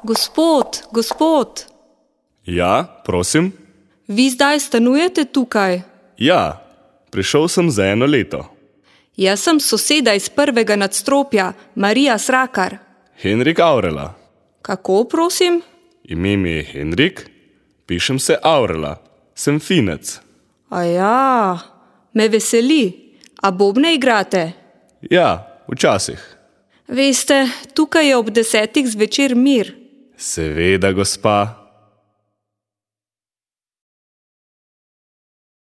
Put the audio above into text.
Gospod. Ja, prosim? Vi zdaj stanujete tukaj? Ja, prišel sem za 1 leto. Jaz sem soseda iz prvega nadstropja, Marija Srakar. Henrik Aurela. Kako, prosim? Ime mi je Henrik, pišem se Aurela, sem Finec. Aja, me veseli. A bobne igrate? Ja, včasih. Veste, tukaj je ob 10 zvečer mir. Seveda, gospa.